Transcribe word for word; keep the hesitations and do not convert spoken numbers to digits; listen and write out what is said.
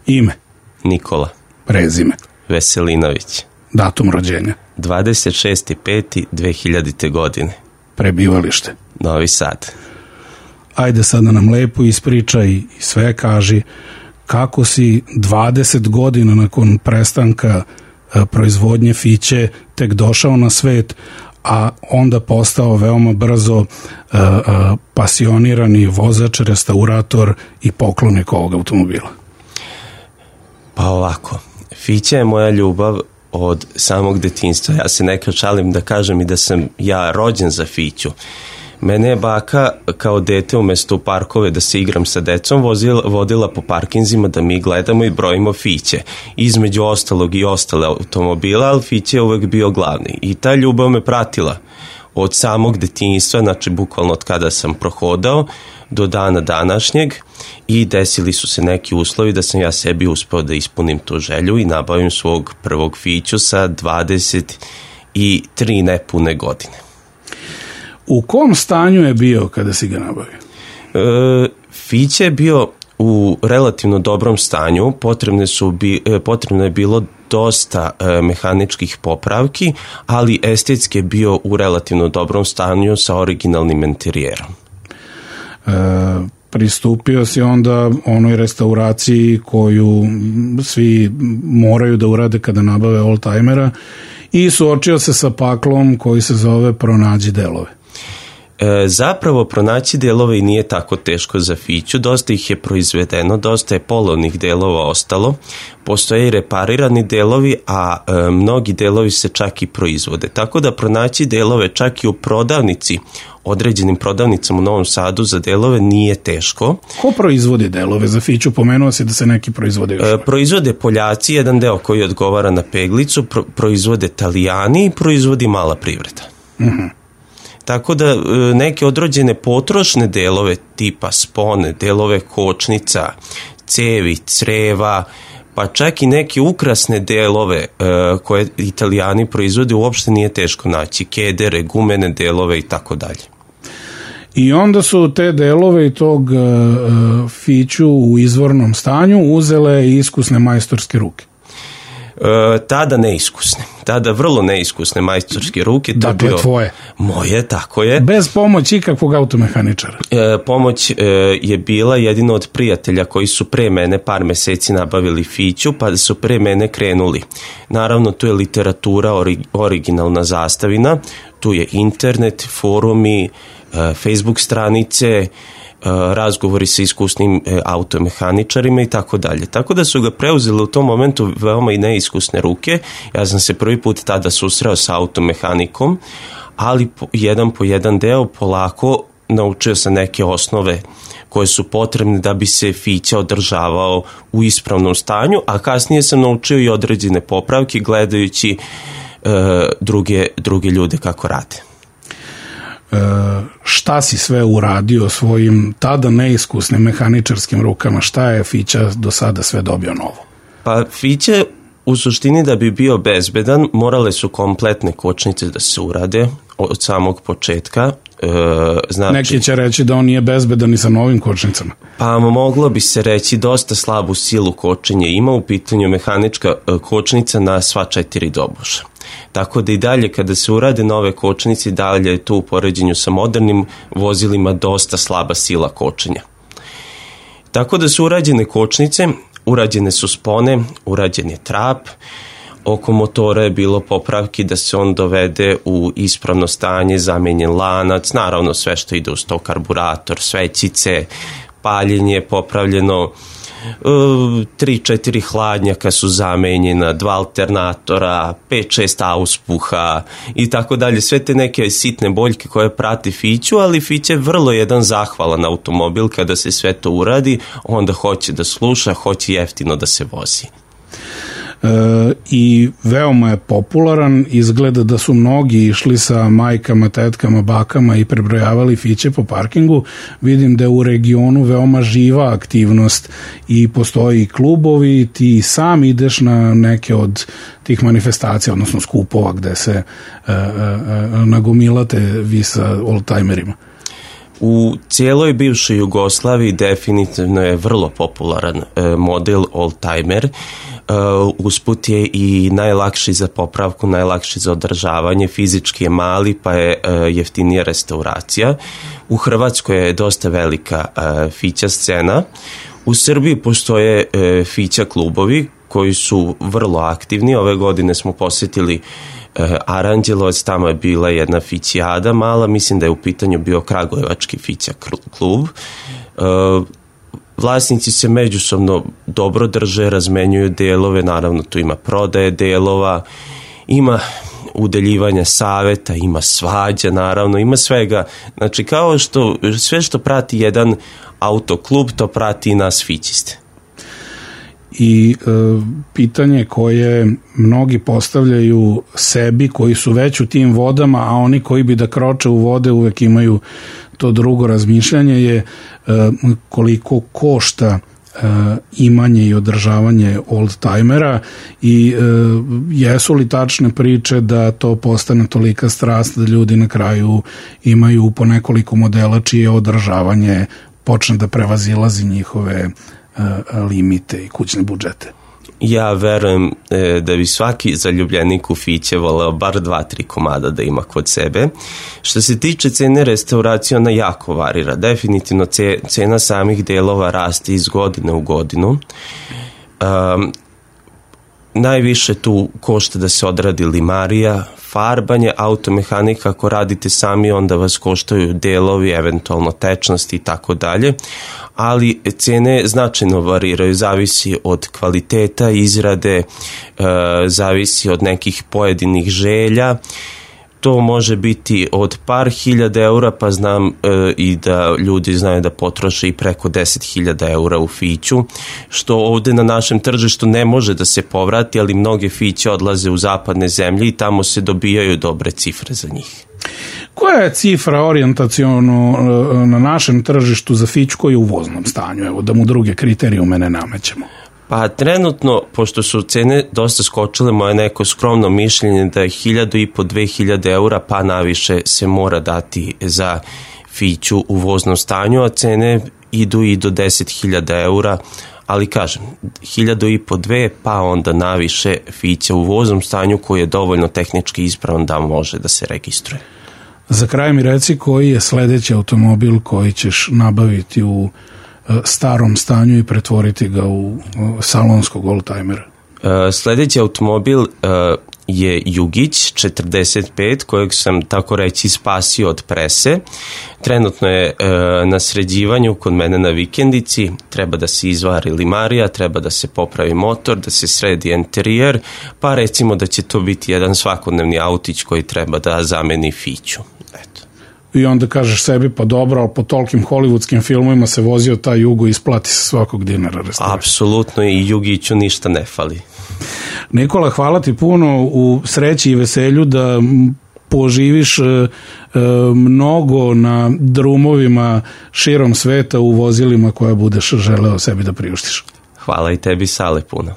Ime? Nikola. Prezime? Veselinović. Datum rođenja? dvadeset šesti peti dve hiljadite. godine. Prebivalište? Novi Sad. Ajde sad da nam lepo ispričaj i sve kaži kako si dvadeset godina nakon prestanka e, proizvodnje Fiće tek došao na svet, a onda postao veoma brzo e, e, pasionirani vozač, restaurator i poklonik ovog automobila. Pa ovako, Fića je moja ljubav od samog detinjstva. Ja se nekad šalim da kažem i da sam ja rođen za Fiću. Mene je baka kao dete umjesto u parkove da se igram sa decom vozila, vodila po parkinzima da mi gledamo i brojimo Fiće. Između ostalog i ostale automobila, ali Fiće je uvek bio glavni. I ta ljubav me pratila od samog detinjstva, znači bukvalno od kada sam prohodao do dana današnjeg, i desili su se neki uslovi da sam ja sebi uspeo da ispunim tu želju i nabavim svog prvog Fiću sa dvadeset tri nepune godine. U kom stanju je bio kada si ga nabavio? E, Fiće je bio u relativno dobrom stanju, potrebne su bi, potrebno je bilo dosta e, mehaničkih popravki, ali estetski je bio u relativno dobrom stanju sa originalnim interijerom. E, pristupio si onda onoj restauraciji koju svi moraju da urade kada nabave oldtimera i suočio se sa paklom koji se zove pronađi delove. E, zapravo pronaći delove i nije tako teško za Fiću, dosta ih je proizvedeno, dosta je polovnih delova ostalo, postoje i reparirani delovi, a e, mnogi delovi se čak i proizvode, tako da pronaći delove čak i u prodavnici, određenim prodavnicama u Novom Sadu za delove nije teško. Ko proizvodi delove za Fiću? Pomenuo si da se neki proizvode još. E, proizvode Poljaci, jedan deo koji odgovara na peglicu, pro, proizvode Italijani i proizvodi mala privreda. Mhm. Tako da neke određene potrošne delove tipa spone, delove kočnica, cevi, creva, pa čak i neke ukrasne delove e, koje Italijani proizvode uopšte nije teško naći, kedere, gumene delove i tako dalje. I onda su te delove i tog uh, Fiću u izvornom stanju uzele iskusne majstorske ruke. E, tada neiskusne, tada vrlo neiskusne majstorske ruke. To dakle, bio tvoje? Moje, tako je. Bez pomoći ikakvog automehaničara? E, pomoć e, je bila jedino od prijatelja koji su pre mene par meseci nabavili Fiću, pa su pre mene krenuli. Naravno, tu je literatura, ori, originalna zastavina, tu je internet, forumi, e, Facebook stranice, razgovori sa iskusnim automehaničarima i tako dalje. Tako da su ga preuzeli u tom momentu veoma i neiskusne ruke. Ja sam se prvi put tada susreo sa automehanikom, ali jedan po jedan deo polako naučio sam neke osnove koje su potrebne da bi se Fića održavao u ispravnom stanju, a kasnije sam naučio i određene popravke gledajući e, druge, druge ljude kako rade. E, šta si sve uradio svojim tada neiskusnim mehaničarskim rukama? Šta je Fića do sada sve dobio novo? Pa Fiće u suštini da bi bio bezbedan morale su kompletne kočnice da se urade od samog početka. E, znači, neki će reći da on nije bezbedan i sa novim kočnicama. Pa moglo bi se reći dosta slabu silu kočenja ima, u pitanju mehanička kočnica na sva četiri doboša. Tako da i dalje kada se urade nove kočnice, dalje je tu u poređenju sa modernim vozilima dosta slaba sila kočenja. Tako da su urađene kočnice, urađene su spone, urađen je trap, oko motora je bilo popravki da se on dovede u ispravno stanje, zamenjen lanac, naravno sve što ide uz to, karburator, svećice, paljenje je popravljeno, tri četiri hladnjaka su zamenjena, dva alternatora, pet šest auspuha i tako dalje, sve te neke sitne boljke koje prati Fiću, ali Fića je vrlo jedan zahvalan automobil kada se sve to uradi, onda hoće da sluša, hoće jeftino da se vozi. E, i veoma je popularan, izgleda da su mnogi išli sa majkama, tetkama, bakama i prebrojavali Fiće po parkingu. Vidim da je u regionu veoma živa aktivnost i postoji i klubovi, ti sam ideš na neke od tih manifestacija, odnosno skupova gde se e, e, nagomilate vi sa oldtimerima. U cijeloj bivšoj Jugoslaviji definitivno je vrlo popularan model oldtimer. Usput je i najlakši za popravku, najlakši za održavanje, fizički je mali pa je jeftinija restauracija. U Hrvatskoj je dosta velika fića scena. U Srbiji postoje fića klubovi koji su vrlo aktivni. Ove godine smo posjetili Aranđelovac, tamo je bila jedna fićijada mala, mislim da je u pitanju bio Kragujevački fića klub. Vlasnici se međusobno dobro drže, razmenjuju delove, naravno tu ima prodaje delova, ima udeljivanja saveta, ima svađa, naravno, ima svega. Znači, kao što, sve što prati jedan autoklub, to prati i nas fićiste. I e, pitanje koje mnogi postavljaju sebi koji su već u tim vodama, a oni koji bi da kroče u vode uvek imaju to drugo razmišljanje je e, koliko košta e, imanje i održavanje oldtimera i e, jesu li tačne priče da to postane tolika strast da ljudi na kraju imaju po nekoliko modela čije održavanje počne da prevazilazi njihove limite i kućne budžete. Ja verujem e, da bi svaki zaljubljenik u fiće voleo bar dva, tri komada da ima kod sebe. Što se tiče cene restauracije, ona jako varira. Definitivno cena samih delova raste iz godine u godinu. Um, najviše tu košta da se odradi limarija, farbanje, automehanika, ako radite sami onda vas koštaju delovi, eventualno tečnosti i tako dalje, ali cene značajno variraju, zavisi od kvaliteta izrade, e, zavisi od nekih pojedinih želja. To može biti od par hiljada eura, pa znam e, i da ljudi znaju da potroše i preko deset hiljada eura u fiću, što ovde na našem tržištu ne može da se povrati, ali mnoge fiće odlaze u zapadne zemlje i tamo se dobijaju dobre cifre za njih. Koja je cifra orijentaciono na našem tržištu za fiću koji je u voznom stanju? Evo da mu druge kriterijume ne namećemo. Pa trenutno, pošto su cene dosta skočile, moje neko skromno mišljenje da je hiljadu i po dve hiljade eura pa naviše se mora dati za fiću u voznom stanju, a cene idu i do deset hiljada eura, ali kažem, hiljadu i po dve pa onda naviše fića u voznom stanju koji je dovoljno tehnički ispravan da može da se registruje. Za kraj mi reci koji je sledeći automobil koji ćeš nabaviti u starom stanju i pretvoriti ga u salonskog oldtimera? Sledeći automobil je Jugić četrdeset pet, kojeg sam tako reći spasio od prese. Trenutno je na sređivanju kod mene na vikendici, treba da se izvari limarija, treba da se popravi motor, da se sredi interijer, pa recimo da će to biti jedan svakodnevni autić koji treba da zameni fiću. Eto. I onda kažeš sebi, pa dobro, ali po tolkim hollywoodskim filmovima se vozio taj Jugo i isplati se svakog dinara. Apsolutno, i Jugiću ništa ne fali. Nikola, hvala ti puno, u sreći i veselju da poživiš e, e, mnogo na drumovima širom sveta u vozilima koja budeš želeo sebi da priuštiš. Hvala i tebi, Sale, puno.